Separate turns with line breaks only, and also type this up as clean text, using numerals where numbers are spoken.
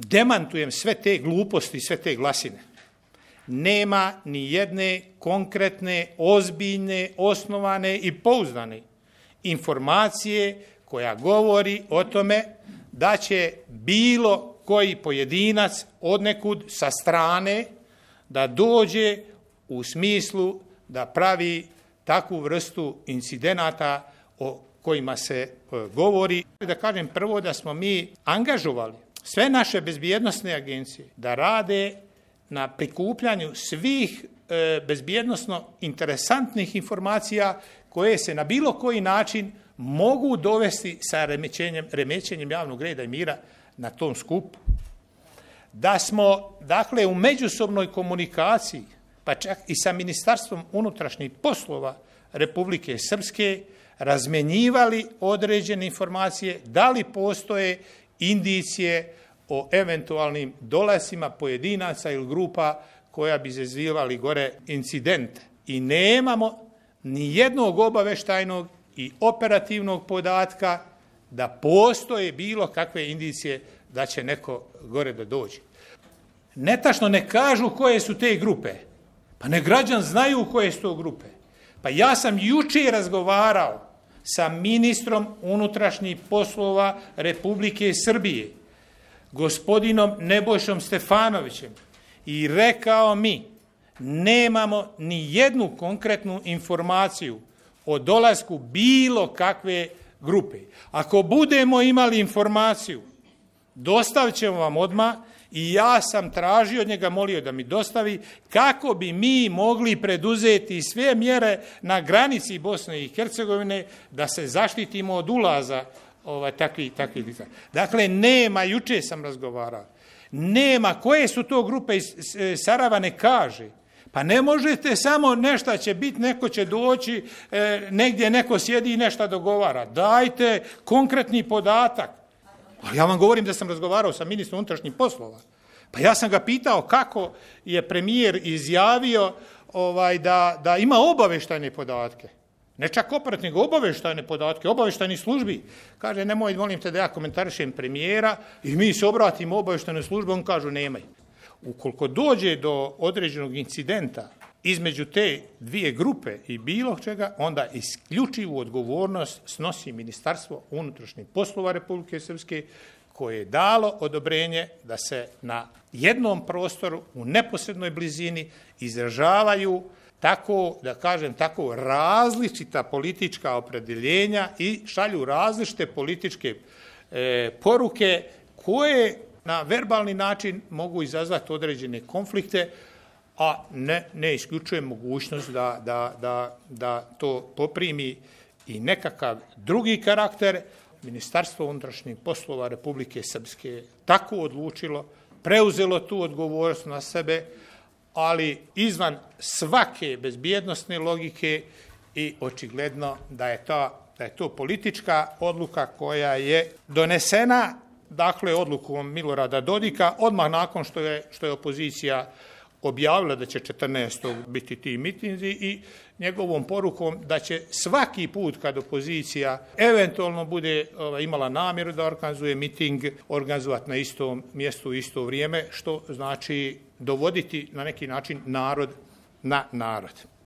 demantujem sve te gluposti i sve te glasine. Nema ni jedne konkretne, ozbiljne, osnovane i pouzdane informacije koja govori o tome da će bilo koji pojedinac odnekud sa strane da dođe u smislu da pravi takvu vrstu incidenata o kojima se govori. Da kažem prvo da smo mi angažovali sve naše bezbjednosne agencije da rade na prikupljanju svih bezbjednosno interesantnih informacija koje se na bilo koji način mogu dovesti sa remećenjem javnog reda i mira na tom skupu. Da smo, dakle, u međusobnoj komunikaciji, pa čak i sa Ministarstvom unutrašnjih poslova Republike Srpske, razmenjivali određene informacije, da li postoje indicije o eventualnim dolascima pojedinaca ili grupa koja bi izazivali gore incidente. I nemamo ni jednog obaveštajnog i operativnog podatka da postoje bilo kakve indicije da će neko gore da dođe. Netačno ne kažu koje su te grupe. Pa ne građan znaju koje su to grupe. Pa ja sam juče razgovarao sa ministrom unutrašnjih poslova Republike Srbije, gospodinom Nebojšom Stefanovićem, i rekao mi, nemamo ni jednu konkretnu informaciju o dolasku bilo kakve grupe. Ako budemo imali informaciju, dostavit ćemo vam odmah, i ja sam tražio od njega, molio da mi dostavi, kako bi mi mogli preduzeti sve mjere na granici Bosne i Hercegovine da se zaštitimo od ulaza takvih. Dakle, nema, juče sam razgovarao, nema, koje su to grupe iz Sarajeva ne kaže. Pa ne možete samo nešto će biti, neko će doći, negdje neko sjedi i nešto dogovara. Dajte konkretni podatak. Ali ja vam govorim da sam razgovarao sa ministrom unutrašnjih poslova. Pa ja sam ga pitao kako je premijer izjavio da ima obavještajne podatke. Ne čak operativne, nego obavještajne podatke, obavještajnih službi. Kaže, nemoj, molim te da ja komentarišem premijera i mi se obratimo obavještajnoj službi, on kažu nemaj. Ukoliko dođe do određenog incidenta između te dvije grupe i bilo čega, onda isključivu odgovornost snosi Ministarstvo unutrašnjih poslova Republike Srpske, koje je dalo odobrenje da se na jednom prostoru u neposrednoj blizini izražavaju tako, da kažem tako, različita politička opredjeljenja i šalju različite političke poruke koje na verbalni način mogu izazvati određene konflikte, a ne isključuje mogućnost da to poprimi i nekakav drugi karakter. Ministarstvo unutrašnjih poslova Republike Srpske tako odlučilo, preuzelo tu odgovornost na sebe, ali izvan svake bezbjednosne logike, i očigledno da je to politička odluka koja je donesena, dakle, odlukom Milorada Dodika, odmah nakon što je opozicija objavila da će 14. biti ti mitinzi, i njegovom porukom da će svaki put kad opozicija eventualno bude imala namjeru da organizuje miting, organizovati na istom mjestu u isto vrijeme, što znači dovoditi na neki način narod na narod.